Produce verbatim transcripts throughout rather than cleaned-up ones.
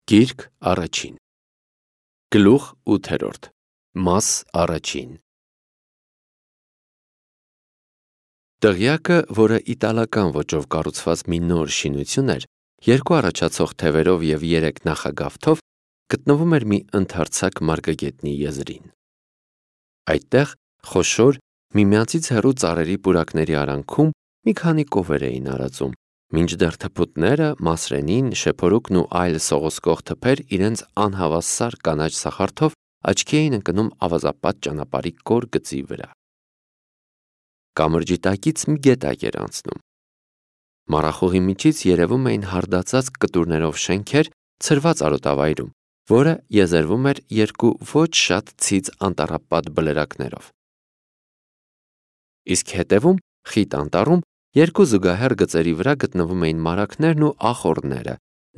Գիրք առաջին Գլուխ ութերորդ Մաս առաջին Դղյակը, որը իտալական ոճով կառուցված մի նոր շինություն էր, երկու առաջացող թևերով և երեք նախագավթով, գտնվում էր մի ընդարձակ մարգագետնի եզրին։ Այդտեղ խոշոր, միմյանցից հեռու ծառերի պուրակների արանքում մի քանի կովեր էին արածում, մինչդեռ թփուտները, մասրենին, շեփորուկն ու այլ սողոսկող թփեր իրենց անհավասար կանաչ սախարթով աչքի էին ընկնում ավազապատ ճանապարհի կոր գծի վրա։ Կամրջի տակից մի գետակ էր անցնում։ Մառախուղի միջից երևում էին հարդացած կտուրներով շենքեր ցրված արոտավայրում, որը եզերվում էր երկու ոչ շատ ցից անտառապատ բլրակներով։ Իսկ հետևում, խիտ անտառում, երկու զուգահեռ գծերի վրա գտնվում էին մարագներն ու ախոռները,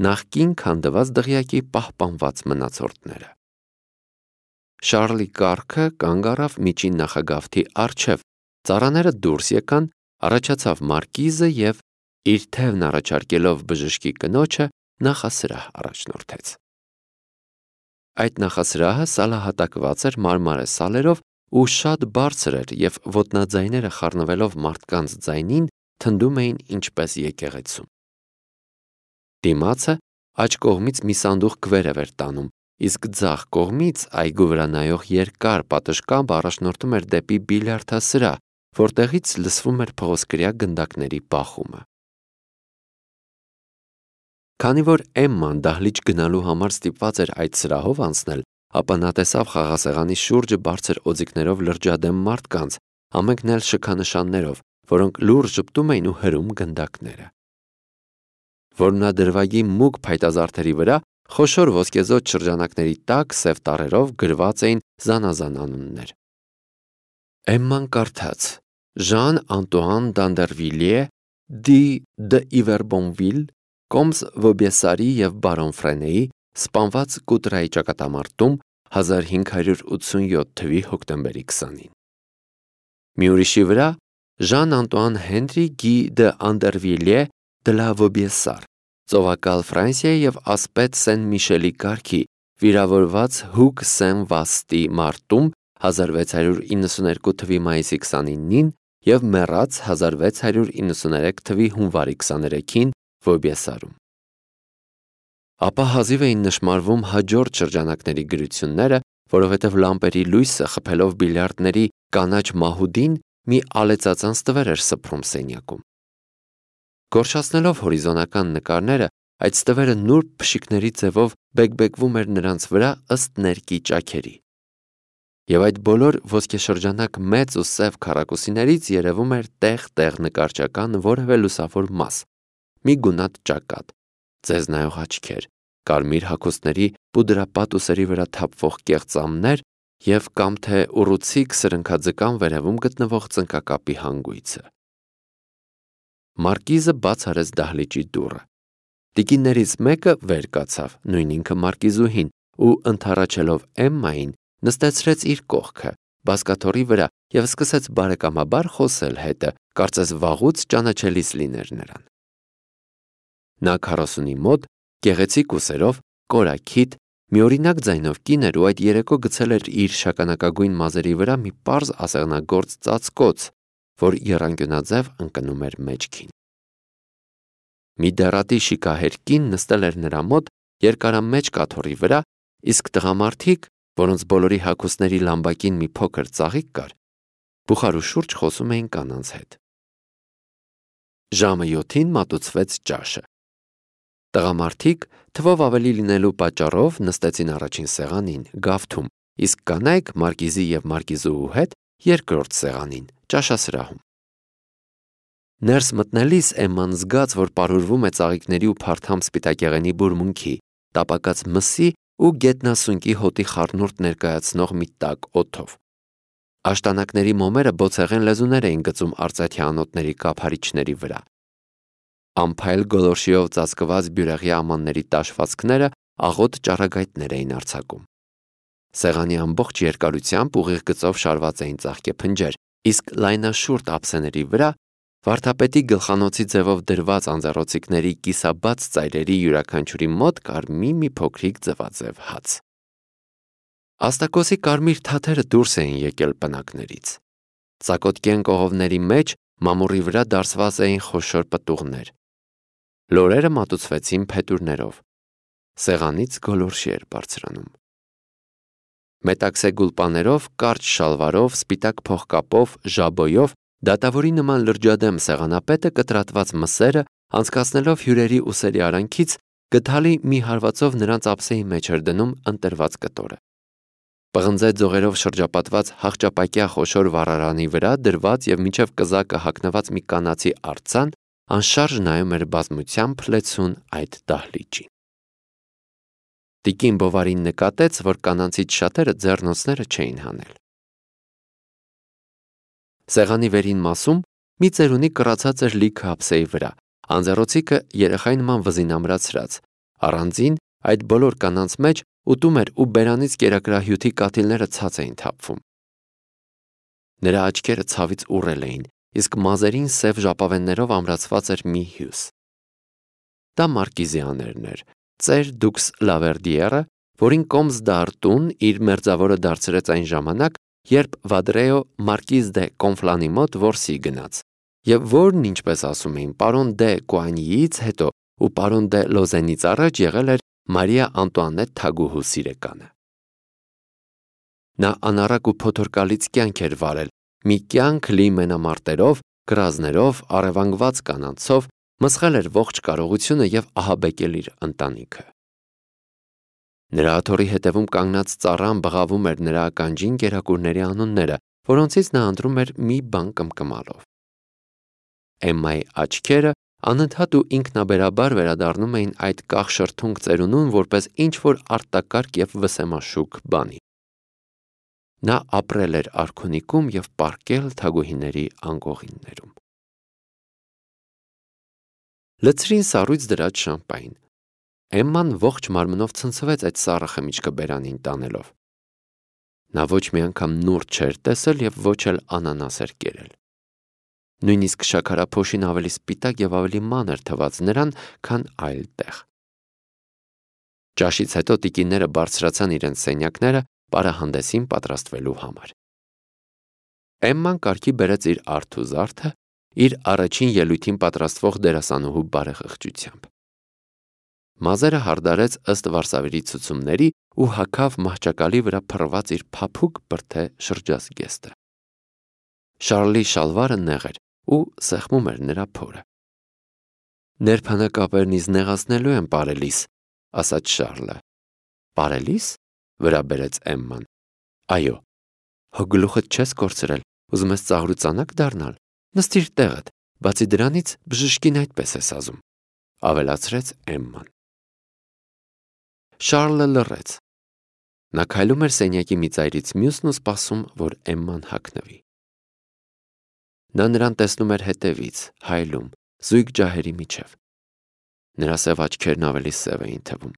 նախկին քանդված դղյակի պահպանված մնացորդները։ Շառլի կառքը կանգ առավ միջին նախագավթի առջև, ծառաները դուրս եկան, առաջացավ մարկիզը և, իր թևն առաջարկելով բժշկի կնոջը, նախասրահ առաջնորդեց։ Այդ նախասրահը սալահատակված էր մարմարե սալերով ու շատ բարձր էր և ոտնաձայները խառնվելով մարդկանց ձայնին թնդում էին ինչպես եկեղեցում։ Դիմացը աջ կողմից մի սանդուղք վերև էր տանում, իսկ ձախ կողմից այգու վրա նայող երկար պատշգամբ առաջնորդում էր դեպի բիլիարդասրահ, որտեղից լսվում էր փղոսկրյա գնդակների բախումը։ Քանի որ Էմման դահլիճ գնալու համար ստիպված էր այդ սրահով անցնել, ապա նա տեսավ խաղասեղանի շուրջը բարձր օձիքներով լրջադեմ մարդկանց, ամենքն էլ շքանշաններով, որոնք լուռ ժպտում էին ու հրում գնդակները։ Որմնադրվագի մուգ փայտազարդերի վրա խոշոր ոսկեզօծ շրջանակների տակ սև տառերով գրված էին զանազան անուններ։ Էմման կարդաց. Ժան-Անտուան Դանդերվիլիե, դի դ'Իվերբոնվիլ, Կոմս Վոբեսարի և բարոն Ֆրենեի, սպանված Կուտրայի ճակատամարտում հազար հինգ հարյուր ութսունյոթ թվականի հոկտեմբերի քսանին։ Մի ուրիշի վրա Ժան-Անտուան Հենրի Գի դ'Անդերվիլիե դ'լա Վոբեսար, ծովակալ Ֆրանսիայի և ասպետ Սեն-Միշելի կարգի, վիրավորված Հուգ Սեն-Վաստի մարտում հազար վեց հարյուր իննսուներկու թվականի մայիսի քսանինին և մեռած հազար վեց հարյուր իննսուներեք թվականի հունվարի քսաներեքին Վոբեսարում։ Ապա հազիվ էին նշմարվում հաջորդ շրջանակների գրությունները, որովհետև լամպերի լույսը խփելով բիլիարդների կանաչ մահուդին մի ալեցածանց տվեր էր սփռում սենյակում։ Գորշացնելով հորիզոնական նկարները, այդ ստվերը նուրբ փշիկների ձևով բեկբեկվում էր նրանց վրա ըստ ներկի ճաքերի։ Եվ այդ բոլոր ոսկեշրջանակ մեծ ու սև քառակուսիներից երևում էր տեղ-տեղ նկարչական որևէ լուսավոր մաս, մի գունատ ճակատ, ձեզ նայող աչքեր, կարմիր հագուստների պուդրապատ ուսերի վրա թափվող կեղծամներ և կամ թե ուռուցիկ սրընքաձկան վերևում գտնվող ծնկակապի հանգույցը։ Մարկիզը բաց արեց դահլիճի դուռը։ Տիկիններից մեկը վեր կացավ, նույն ինքը մարկիզուհին, ու ընդառաջելով Էմմային, նստեցրեց իր կողքը, բազկաթոռի վրա և սկսեց բարեկամաբար խոսել հետը, կարծես վաղուց ճանաչելիս լիներ նրան։ Նա քառասունի մոտ, գեղեցիկ ուսերով, կորաքիթ, միօրինակ ձայնով կին էր ու այդ երեկո գցել էր իր շագանակագույն մազերի վրա մի պարզ ասեղնագործ ծածկոց, որ եռանկյունաձև ընկնում էր մեջքին։ Մի դեռատի շիկահեր կին նստել էր նրա մոտ երկարամեջ կաթոռի վրա, իսկ տղամարդիկ, որոնց բոլորի հագուստների լամբակին մի փոքր ծաղիկ կար, բուխարու շուրջ խոսում էին կանանց հետ։ Ժամը յոթին մատուցվեց ճաշը։ Տղամարդիկ, թվով ավելի լինելու պատճառով, նստեցին առաջին սեղանին, գավթում, իսկ կանայք մարկիզի և մարկիզուհու հետ երկրորդ սեղանին, ճաշասրահում։ Ներս մտնելիս Էմման զգաց, որ պարուրվում է ծաղիկների ու փարթամ սպիտակեղենի բուրմունքի, տապակած մսի ու գետնասունկի հոտի խառնուրդ ներկայացնող մի տաք օդով։ Աշտանակների մոմերը բոցեղեն լեզուներ էին գծում արծաթյա անոթների կափարիչների վրա։ Ամփայլ գոլորշիով ծածկված բյուրեղյա ամանների տաշվածքները աղոտ ճառագայթներ էին արձակում։ Սեղանի ամբողջ երկարությամբ ուղիղ գծով շարված էին ծաղկեփնջեր, իսկ լայնաշուրթ ափսեների վրա, Վարդապետի գլխանոցի ձևով դրված անձեռոցիկների կիսաբաց ծայրերի յուրաքանչյուրի մոտ կար մի-մի փոքրիկ ձվաձև հաց։ Աստակոսի կարմիր թաթերը դուրս էին եկել պնակներից։ Ծակոտկեն կողովների մեջ մամուռի վրա դարսված էին խոշոր պտուղներ։ Լորերը մատուցվեցին փետուրներով։ Սեղանից գոլորշի էր բարձրանում։ Մետաքսե գուլպաներով, կարճ շալվարով, սպիտակ փողկապով, ժաբոյով, դատավորի նման լրջադեմ սեղանապետը կտրատված մսերը, անցկացնելով հյուրերի ուսերի արանքից, գդալի մի հարվածով նրանց ափսեի մեջ էր դնում ընտրված կտորը։ Պղնձե ձողերով շրջապատված հաղճապակյա խոշոր վառարանի վրա դրված և մինչև կզակը հագնված մի կանացի արձան անշարժ նայում էր բազմությամբ լեցուն այդ դահլիճին։ Տիկին Բովարին նկատեց, որ կանանցից շատերը ձեռնոցները չէին հանել։ Սեղանի վերին մասում մի ծերունի կռացած էր լիքը ափսեի վրա, անձեռոցիկը երեխայի նման վզին ամրացրած, առանձին այդ բոլոր կանանց մեջ ուտում էր ու բերանից կերակրահյութի կաթիլները ցած էին թափվում։ Նրա աչքերը ցավից ուռել էին, իսկ մազերին սև ժապավեններով ամրացված էր մի հյուս։ Դա Մարկիզիաներն էր, ծեր դուքս Լավերդիերը, որին Կոմս դ'Արտուն իր մերձավորը դարձրեց այն ժամանակ, երբ Վադրեո Մարկիզ դե Կոնֆլանի մոտ որսի գնաց, և որն, ինչպես ասում էին, պարոն դե Կուանյիից հետո ու պարոն դե Լոզենից առաջ եղել էր Մարիա Անտուանետ թագուհու սիրեկանը։ Նա անառակ ու փոթորկալից կյանք էր վարել, մի կյանք լի մենամարտերով, կռազներով, առևանգված կանանցով, մսխել էր ողջ կարողությունը և ահաբեկել իր ընտանիքը։ Նրա աթոռի հետևում կանգնած ծառան բղավում էր նրա ականջին կերակուրների անունները, որոնցից նա ընտրում էր մի բան կմկմալով։ Էմմայի աչքերը անընդհատ ու ինքնաբերաբար վերադառնում էին այդ կախ-շրթունք ծերունուն որպես ինչ-որ արտակարգ և վսեմաշուք բանի։ Նա ապրել էր արքունիքում և պառկել թագուհիների անկողիններում։ Լցրին սառույց դրած շամպայն։ Էմման ողջ մարմնով ցնցվեց այդ սառը խմիչքը բերանին տանելով։ Նա ոչ մի անգամ նուրդ չէր տեսել և ոչ էլ անանաս էր կերել։ Նույնիսկ շաքարափոշին ավելի սպիտակ և ավելի մանր թվաց նրան, քան այլ տեղ։ Ճաշից հետո տիկինները բարձրացան իրենց սենյակները պարահանդեսին պատրաստվելու համար։ Էմման կարգի բերեց իր արթ ու զարդը, իր առաջին ելույթին պատրաստվող դերասանուհու բարեխղճությամբ։ Մազերը հարդարեց ըստ վարսավիրի ցուցումների ու հագավ մահճակալի վրա փռված իր փափուկ բրդե շրջազգեստը։ Շարլի շալվարը նեղ էր ու սեղմում էր նրա փորը։ Ներբանակապերն ինձ նեղացնելու են պարելիս, ասաց Շարլը։ Պարելիս, վրա բերեց Էմման։ Այո, հո գլուխդ չես կորցրել, ուզում ես ծաղրուծանակ դառնալ, նստիր տեղդ, բացի դրանից բժշկին այդպես ես ասում, ավելացրեց Էմման։ Շարլը լռեց։ Նա քայլում էր սենյակի մի ծայրից մյուսն ու սպասում, որ Էմման հագնվի։ Նա նրան տեսնում էր հետևից, հայլում, զույգ ջահերի միջև։ Նրա սև աչքերն ավելի սև էին թվում։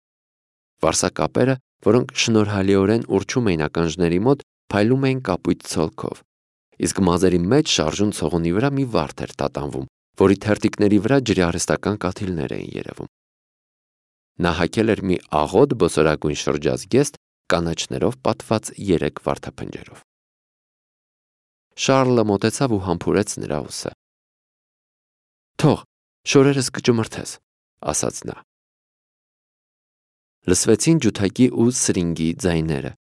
Վարսակապերը, որոնք շնորհալիորեն ուռչում էին ականջների մոտ, փայլում էին կապույտ ցոլքով, իսկ մազերի մեջ շարժուն ցողունի վրա մի վարդ էր տատանվում, որի թերթիկների վրա ջրիարհեստական կաթիլներ էին երևում։ Նա հագել էր մի աղոտ բոսորագույն շրջազգեստ կանաչներով պատված երեք վարդափնջերով։ Շարլը մոտեցավ ու համբուրեց նրա ուսը։ Թող, շորերս կճմրթես, ասաց նա։ Լսվեցին ջութակի ու սրինգի ձայները։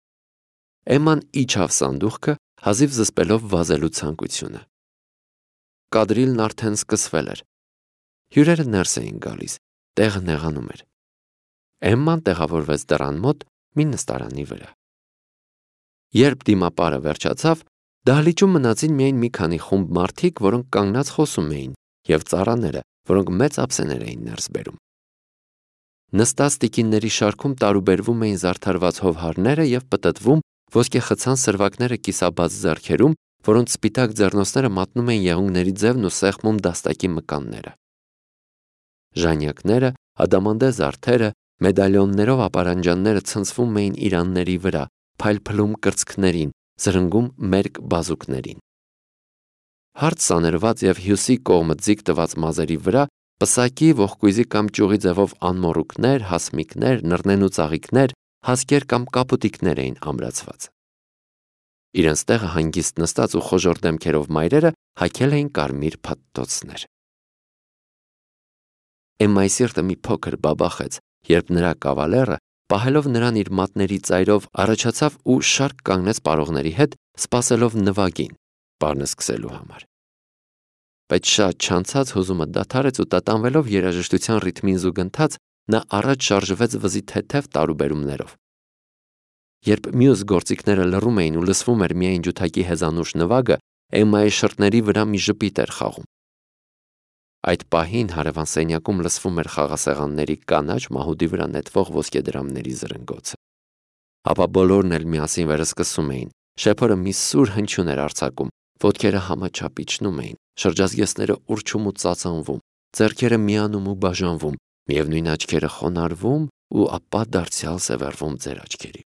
Էմման իջավ սանդուղքը, հազիվ զսպելով վազելու ցանկությունը։ Կադրիլն արդեն սկսվել էր։ Հյուրերը ներս էին գալիս, տեղը նեղանում էր։ Էմման տեղավորվեց դռան մոտ մի նստարանի վրա։ Երբ դիմապարը վերջացավ, դահլիճում մնացին միայն մի քանի խումբ մարդիկ, որոնք կանգնած խոսում էին, և ծառաները, որոնք մեծ ափսեներ էին ներս բերում։ Նստած տիկինների շարքում տարուբերվում էին զարդարված հովհարները և պտտվում ոսկեխցան սրվակները կիսաբաց ձեռքերում, որոնց սպիտակ ձեռնոցները մատնում էին եղունգների ձևն ու սեղմում դաստակի մկանները։ Ժանյակները, ադամանդե զարդերը, մեդալիոններով ապարանջանները ցնցվում էին իրանների վրա, փայլփլում կրծքներին, զրնգում մերկ բազուկներին։ Հարթ սաներված և հյուսի կողմը ձիգ տված մազերի վրա պսակի, ողկույզի կամ ճյուղի ձևով անմոռուկներ, հասմիկներ, նռնեն ու ծաղիկներ, հասկեր կամ կապուտիկներ էին ամրացված։ Իրենց տեղը հանգիստ նստած ու խոժոռ դեմքերով մայրերը հագել էին կարմիր փաթթոցներ։ Էմմայի սիրտը մի փոքր բաբախեց, երբ նրա կավալերը, պահելով նրան իր մատների ծայրով, առաջացավ ու շարք կանգնեց պարողների հետ, սպասելով նվագին, բառն սկսելու համար։ Բայց շատ չանցած հուզումը դադարեց ու տատանվելով երաժշտության ռիթմին զուգընթաց, նա առաջ շարժվեց վզի թեթև տարուբերումներով։ Երբ մյուս գործիքները լռում էին ու լսվում էր միայն ջութակի հեզանուշ նվագը, Էմմայի շրթների վրա մի ժպիտ էր խաղում։ Այդ պահին հարևան սենյակում լսվում էր խաղասեղանների կանաչ մահուդի վրա նետվող ոսկեդրամների զրնգոցը։ Ապա բոլորն էլ միասին վերսկսում էին, շեփորը մի սուր հնչյուն էր արձակում, ոտքերը համաչափ իջնում էին, շրջազգեստները ուռչում ու ծածանվում, ձեռքերը միանում ու բաժանվում, միևնույն աչքերը խոնարհվում ու ապա դարձյալ սևեռվում ձեր աչքերի